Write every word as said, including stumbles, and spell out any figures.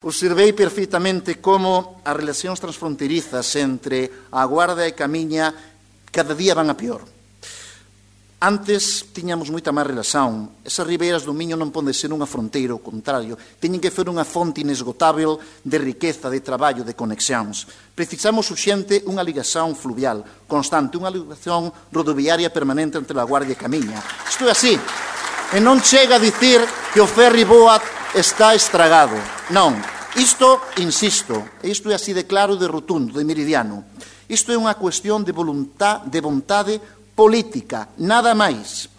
Observei perfeitamente como as relacións transfronterizas entre a Guarda e Camiña cada día van a pior. Antes tiñamos moita máis relación. Esas ribeiras do Miño non poden ser unha fronteira, ao contrario, teñen que ser unha fonte inesgotável de riqueza, de traballo, de conexións. Precisamos urxente unha ligación fluvial constante, unha ligación rodoviaria permanente entre a Guardia e Camiña. Isto é así. E non chega a dicir que o ferry Boat está estragado. Non. Isto, insisto, isto é así de claro, de rotundo, de meridiano. Isto é unha cuestión de voluntad, de vontade política, nada máis.